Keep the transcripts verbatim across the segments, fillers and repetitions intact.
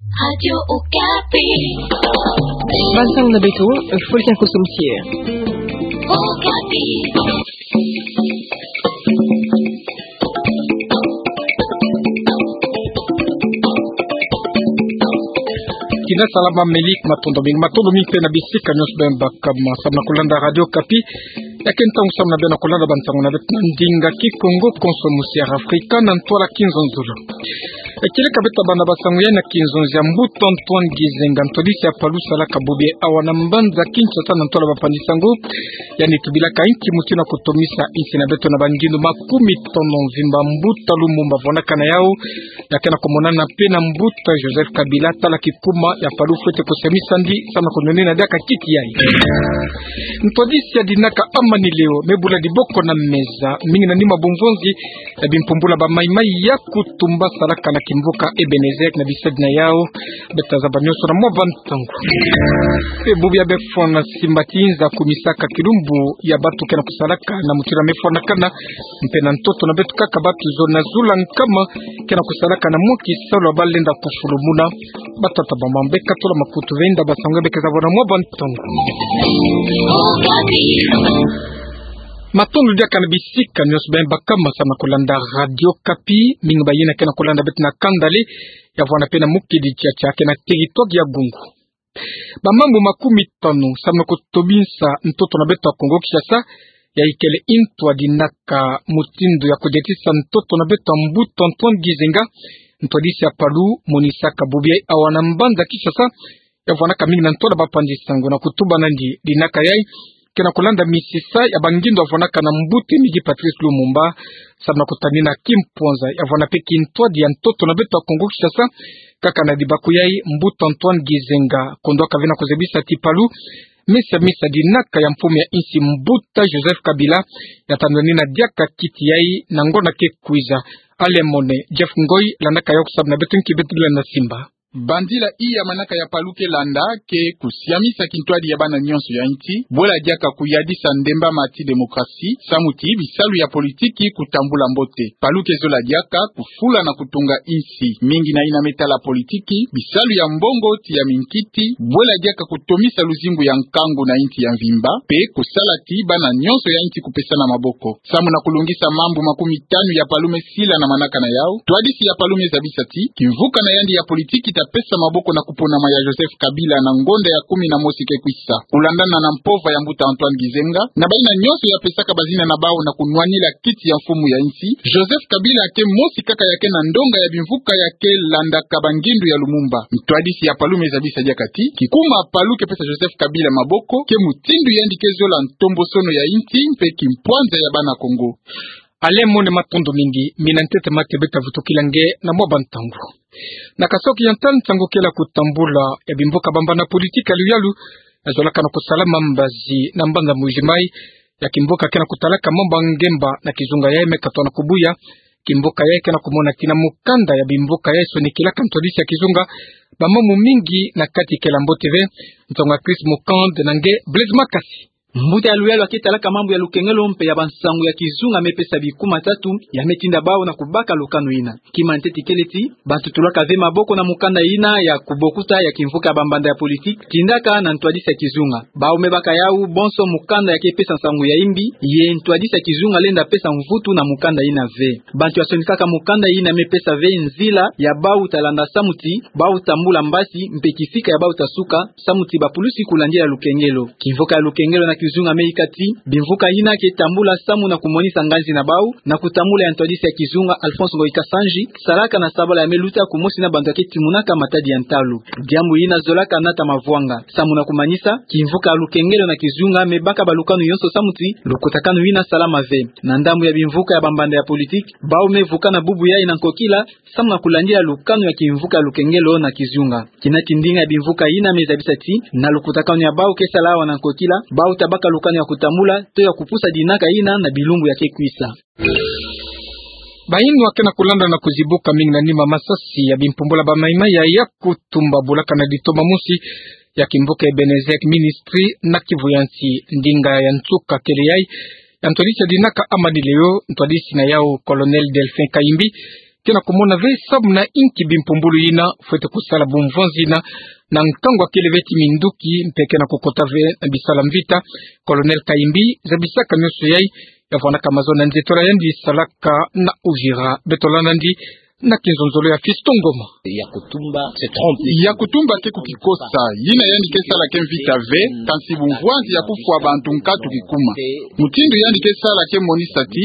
Radio Okapi. Bansangu na beto, Fulkin Kosomsie. Okapi. Kina salama, melik matondo mingi, matondo mingi pe na bisika nyonso beno bakama, samu na kulanda Radio Okapi. Ya ke ntangu samu na beno kulanda bansangu na beto na ndinga Kikongo, konso musiara Afrika, na ntwala Kinzonzolo. E, kieleka beto tabana bansangu ya na Kinzonzi ya Mbuta Antoine Gizenga, ntwadisi ya Palu, salaka bubi awa na mbanza Kinshasa, na ntwala bapanzi sango. Yandi tubilaka inki mutindu ya kutomisa insi na beto na bangindu makumi tanu mvimba Mbuta Lumumba avwanaka na yau, ya ke na kumonana pe na Mbuta Joseph Kabila, tala kikuma ya Palu fwete kusiamisandi, samu na kunwanina diaka kiti yayi. Ntwadisi ya dinaka Amani Leo me bula diboko na meza, mingi na nima bumvonzi ya bimpumbula ba maimai ya kutumba salaka na kimvuka Ebenezer na bisadi na yau. Beto tazaba nyonso na mwa bantangu. Pe bubu ya befo na simba ti nza kumisaka kilumbu ya bantu ke na kusalaka na mutindu ya mefwanakana, mpe na ntoto na beto kaka bantu zo na zula nkama ke na kusalaka na mwa kisalu ya balenda kufulumuna. Batata, bamama, beka tula makutu, benda bansangu ya beka zabwa na mwa bantangu. Matondo diaka na bisika nyonso beno bakama, samu na kulanda Radio Okapi. Mingi bayina ke na kulanda beto na kanda le, ya vwanda pe na mukedi tiatia ke na territoire ya Gungu. Bamambu makumi tanu samu na kutomisa ntoto na beto ya Kongo Kinshasa, ya ikele ntwadi naka mutindu ya kudiatisa ntoto na beto ya Mbuta Antoine Gizenga, ntwadisi ya Palu, monisaka bubi awa na mbanza Kinshasa, ya vwanaka mingi na ntwala bapanzi sango na kutuba nandi dinaka yayi ke na kulanda misisa ya bangindu avwanaka na mbuta Emery Patrice Lumumba, samu na kutanina kimpwanza ya vwanda pe kintwadi ya ntoto na beto ya Kongo Kinshasa, kaka na dibaku yayi Mbuta Antoine Gizenga kondwaka ve na kuzabisa ti Palu, misa misa dinaka ya mfumu ya insi Mbuta Joseph Kabila, ya ta nwanina diaka kiti yayi na ngonda ke kwiza. Alain Mone, Jeff Ngoy landaka yau samu na beto nki beto lenda simba. Bandila iya manaka ya Palu ke landa ke kusiamisa kintwadi ya bana nyonso ya insi, bwela diaka kuyadisa ndembama ti demokrasi, samu ti bisalu ya politiki kutambula mbote. Palu ke zola diaka kufula na kutunga insi. Mingi na yina me tala politiki, bisalu ya mbongo ti ya minkiti, bwela diaka kutomisa luzingu ya nkangu na insi ya mvimba, pe kusala ti bana nyonso ya insi kupesana maboko. Samu na kulungisa mambu makumi tanu ya Palu me sila na manaka na yau, ntwadisi ya Palu me zabisa ti kimvuka na yandi ya politiki ta pesa maboko na kuponama ya Joseph Kabila na ngonda ya kumi na mosi ke kwisa. Kulandana na mpova ya Mbuta Antoine Gizenga, na bayina nyonso ya pesaka bazina na bau na kunwanila kiti ya mfumu ya insi, Joseph Kabila ke mosi kaka ya ke na ndonga ya bimvuka ya ke landaka bangindu ya Lumumba. Ntwadisi ya Palu me zabisa diaka ti kikuma Palu ke pesa Joseph Kabila maboko ke mutindu yandi ke zola ntombosono ya insi mpe kimpwanza ya bana Kongo. Alain Mone, matondo mingi. Mina ntete mate beta vutukila nge na mwa bantangu. Na Kasaï Oriental, nsangu kele ya kutambula ya bimvuka bambana politiki ya luyalu ya zolaka na kusalama mbazi na mbanza Mbuji-Mayi, ya kimvuka ke na kutalaka mambu ya ngemba na kizunga yayi me katoa na kubuya. Kimvuka yayi ke na kumona tina mukanda ya bimvuka yayi sonikilaka ntwadisi ya kizunga bamambu mingi, na kati kele mbote ve. Nsangu ya Chris Mukand na nge Blaise Makasi. Mbuta ya luyalu ya ke talaka mambu ya lukengelo mpe ya bansangu ya kizunga me pesa bikuma tatu, ya me tinda bau na kubaka lukanu yina. Kima ntete kele ti, bantu tulaka ve maboko na mukanda yina ya kubokuta ya kimvuka ya bambanda ya politiki, tindaka na ntwadisi ya kizunga. Bau me baka yau bonso mukanda ya ke pesa nsangu ya imbi, ye ntwadisi ya kizunga lenda pesa mvutu na mukanda yina ve. Bantu ya sonikaka mukanda yina me pesa ve nzila ya bau ta landa samu ti bau tambula mbasi mpe kisika ya bau ta suka, samu ti bapulusi kulandila lukengelo. Kimvuka ya lukengelo na kizunga me ika ti bimvuka yina ke tambula samu na kumonisa nganzi na bau na kutambula ya ntwadisi ya kizunga Alphonse Ngoyi Kasanji, salaka na sabala ya me luta kumosi na bantu ya ke timunaka matadi ya ntalu. Diambu yina zolaka nata mavwanga. Samu na kumanisa, kimvuka ya lukengelo na kizunga me baka balukanu yonso samu ti lukutakanu yina salama ve. Na ndambu ya bimvuka ya bambanda ya politiki, bau me vukana bubu yayi na nkokila, samu na kulandila lukanu ya kimvuka ya lukengelo na kizunga. Kina ti ndinga ya bimvuka yina me zabisa ti, na lukutakanu ya bau ke sala awa na nkokila, bau ta baka lukanu ya kutambula to ya kupusa dinaka yina na bilumbu ya ke kwisa. Bayinwa ke na kulanda na kuzibuka mingi na nima masasi ya bimpumbula ba maimai ya kutumba bulaka na ditoma mosi ya kimvuka Ebenezer Ministry na Kivu ya nsi. Ndinga ya nsuka kele yayi ya ntwadisi ya dinaka Amani Leo, ntwadisi na yau Colonel Delphin Kayimbi, ke na kumona ve samu na inki bimpumbulu yina fwete kusala bumvwanzi yina, na nkangu akele ve ti minduki mpe ke na kukota ve na bisalu ya mvita. Colonel Kayimbi zabisaka nionso yai, ya vwanaka mazono ya nzitola yandi salaka na Uvira. Beto landa yandi na kinzonzolo ya Fiston Ngoma. Yakutumba, c'est tromper. Yakutumba ke kukikosa, yina yandi ke sala ke mvita ve, kansi bumvwanzi ya kufwa bantu nkatu kikuma. Mutindu yandi ke sala ke monisa ti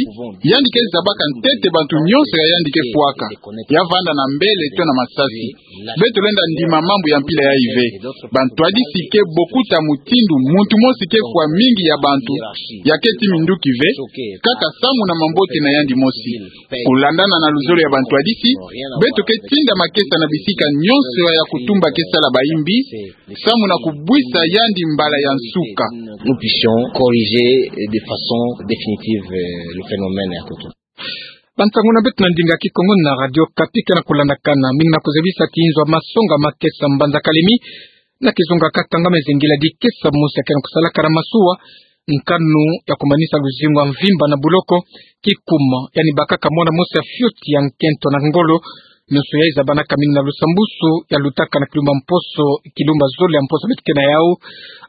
yandi ke zabaka ntete bantu nionso ya yandi ke fwaka, ya vanda na mbele to na masasi. Beto lenda ndima mambu ya mpila yai ve. Bantwadisi ke bokuta mutindu muntu mosi ke fwa mingi ya bantu ya ke ti minduki ve, kaka samu na mambote na yandi mosi. Kulandana na luzolo ya bantwadisi, beto ke tinda makesa na bisika nionso ya Yakutumba ke sala bayimbi, samu na kubwisa yandi mbala ya nsuka. Nous puissions corriger de façon définitive, euh, le phénomène Yakutumba. Bansangu na beto na ndinga Kikongo na Radio Okapi ke na kulandakana. Mingi na kuzabisa ti inzo ya masonga makesa mbanza Kalemi na kizunga Katanga me zengila dikesa mosi ya ke na kusalaka na masuwa, nkanu ya kumanisa luzingu ya mvimba na boloko, kikuma, yandi bakaka mwana mosi ya fioti ya nkento na ngolo. Nionso yai zabanaka mingi na lusambusu ya lutaka na kilumba mposo, kilumba zole ya mposo beto ke na yau.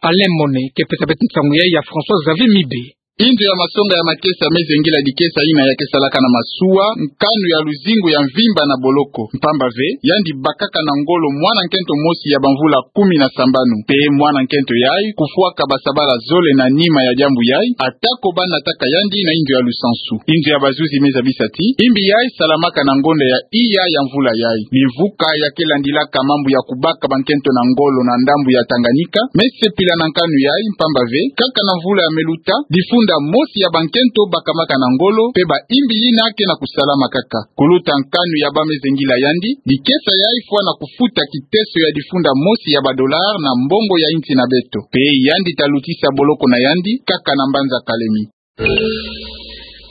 Alain Mone ke pesa beto nsangu yai ya François Xavier Mibe. Inzo ya masonga ya makesa me zengila dikesa yina ya ke salaka na masuwa, nkanu ya luzingu ya mvimba na boloko. Mpamba ve, yandi bakaka na ngolo mwana nkento mosi ya bamvula kumi na sambanu. Mpe mwana nkento yai kufwaka basabala zole na nima ya diambu yai, ata ko banataka yandi na inzo ya lusansu. Inzo ya bazuzi me zabisa ti imbi yai salamaka na ngonda ya iya ya mvula yai. Mimvuka ya ke landilaka mambu ya kubaka bankento na ngolo na ndambu ya Tanganyika me sepila na nkanu yai, mpamba ve, kaka na mvula ya me luta, difunda mosi ya bankento bakamaka na ngolo, mpe ba imbi yina ke na kusalama kaka. Kuluta nkanu ya ba me zengila yandi, dikesa yai fwa na kufuta kiteso ya difunda mosi ya ba dollars na mbongo ya insi na beto. Mpe yandi ta lutisa boloko na yandi kaka na mbanza Kalemi.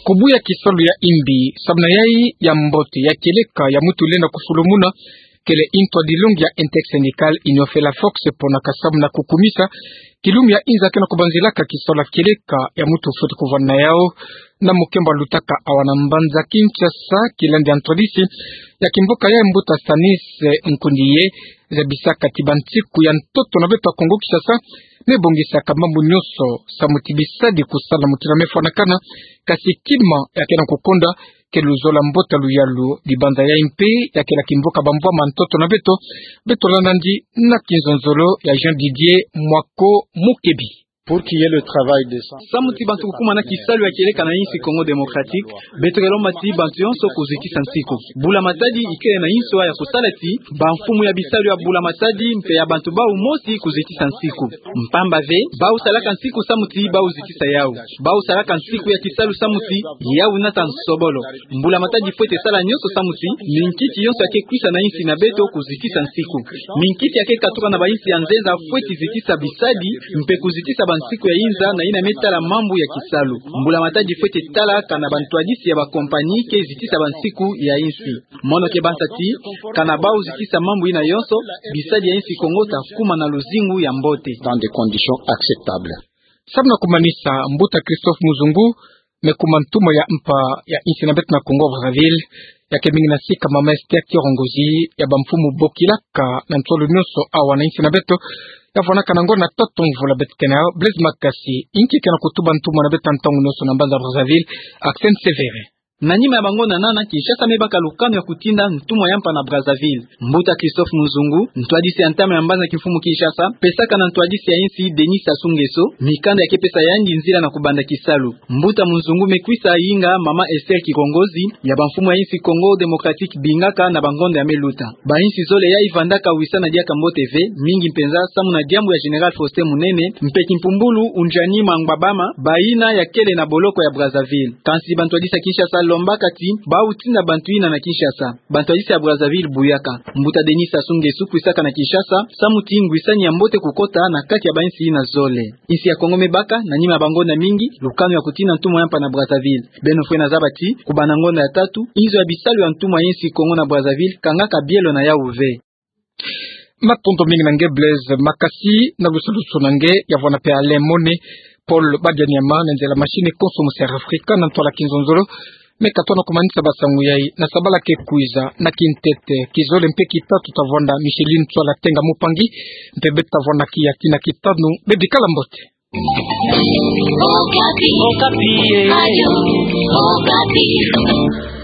Kubuya kisalu ya imbi, samu na yai ya mbote, ya kieleka ya muntu lenda kufulumuna, kele ntwadilongi ya Intersyndical Union Felafox ponaka samu na kukumisa kilumbu ya inza ke na kubanzilaka kisalu ya kieleka ya muntu fwete kuvwanda na yau. Na mukembo lutaka awa na mbanza Kinshasa, kilandi ya ntwadisi ya kimvuka ya mbuta Stanis Nkundiye, zabisaka ti bansiku ya ntoto na beto ya Kongo Kinshasa me bongisaka mambu nionso samu ti bisadi kusala na muntu na me fwanakana, kasi kima ya ke na kukonda ke luzolo ya mbote ya luyalu. Dibanza yai mpe ya kela kimvuka bamvwama ntoto na beto. Beto landa yandi na kinzonzolo ya Jean Didier Mwako Mukebi. Pour qu'il y ait le travail décent. Samu ti bantu kukuma na kisalu ya kieleka na insi Congo Démocratique, beto ke lomba ti bantu yonso kuzitisa nsiku. Mbula Matadi ikele na inso ya kusala ti bamfumu ya bisalu ya Mbula Matadi mpe ya bantu bau mosi kuzitisa nsiku. Mpamba ve, bau salaka nsiku samu ti bau zitisa yau. Bau salaka nsiku ya kisalu samu ti yau nata nsobolo. Mbula Matadi fwete sala nionso samu ti minkiki yonso ya ke kwisa na insi na beto kuzitisa nsiku. Minkiki ya ke katuka na bainsi ya nzenza fwete zitisa bisadi, mpe kuzitisa bansiku ya inza na yina me tala mambu ya kisalu. Mbula Matadi fwete tala kana bantwadisi ya bakompani ke zitisa bansiku ya insi. Mono ke banza ti, kana bau zitisa mambu yina yonso, bisadi ya insi Kongo ta kuma na luzingu ya mbote. Dans des conditions acceptables. Samu na kumanisa, mbuta Christophe Muzungu me kuma ntumwa ya mpa ya insi na beto na Congo Brazzaville. Ya ke mingi na sika mama Esther Kirongozi, ya bamfumu bokilaka na ntolo nionso awa na insi na beto, ya vwanaka na ngonda tatu mvula beto ke na yau. Blaise Makasi, inki ke na kutuba ntumwa na beto ntangu nionso na mbanza Brazzaville, Axel Sévérin. Na nima ya bangonda nana, Kinshasa me baka lukanu ya kutinda ntumwa ya mpa na Brazzaville. Mbuta Christophe Muzungu, ntwadisi ya ntama ya mbanza kimfumu Kinshasa, pesaka na ntwadisi ya insi Denis Sassou Nguesso mikanda ya ke pesa yandi nzila na kubanda kisalu. Mbuta Muzungu me kwisa yinga mama Esther Kirongozi, ya bamfumu ya insi Congo Démocratique bingaka na bangonda ya me luta. Bainsi zole yai vandaka wisana diaka mbote ve, mingi mpenza samu na diambu ya Général Faustin Munene mpe Kimpumbulu Ndjani Mangbabama, bayina ya kele na boloko ya Brazzaville. Kansi bantwadisi ya Kinshasa lombaka ti bau tinda bantu yina na Kinshasa. Bantwadisi ya Brazzaville buyaka. Mbuta Denis Sassou Nguesso kwisaka na Kinshasa samu ti ngwisani ya mbote kukota na kati ya bainsi yina zole. Insi ya Congo me baka, na nima ya bangonda mingi, lukanu ya kutinda ntumwa ya mpa na Brazzaville. Beno fwena zaba ti, kubanda ngonda ya tatu, inzo ya bisalu ya ntumwa ya insi Congo na Brazzaville kangaka bielo na yau ve. Matondo mingi na nge Blaise Makasi, na lusalusu na nge. Ya vwana pe Alain Mone, Paul Badianyama, na nzela machine konso mu Sud Africa, na ntwala kinzonzolo me katona kumanisa basangu yai na sabala ke kwiza na kintete, kizole mpe kitatu tavwanda Micheline Tswala Tenga Mupangi, mpe beto tavwanda kiaki na kitanu, bebikala mbote. Okapi. Okapi, eh. Radio Okapi.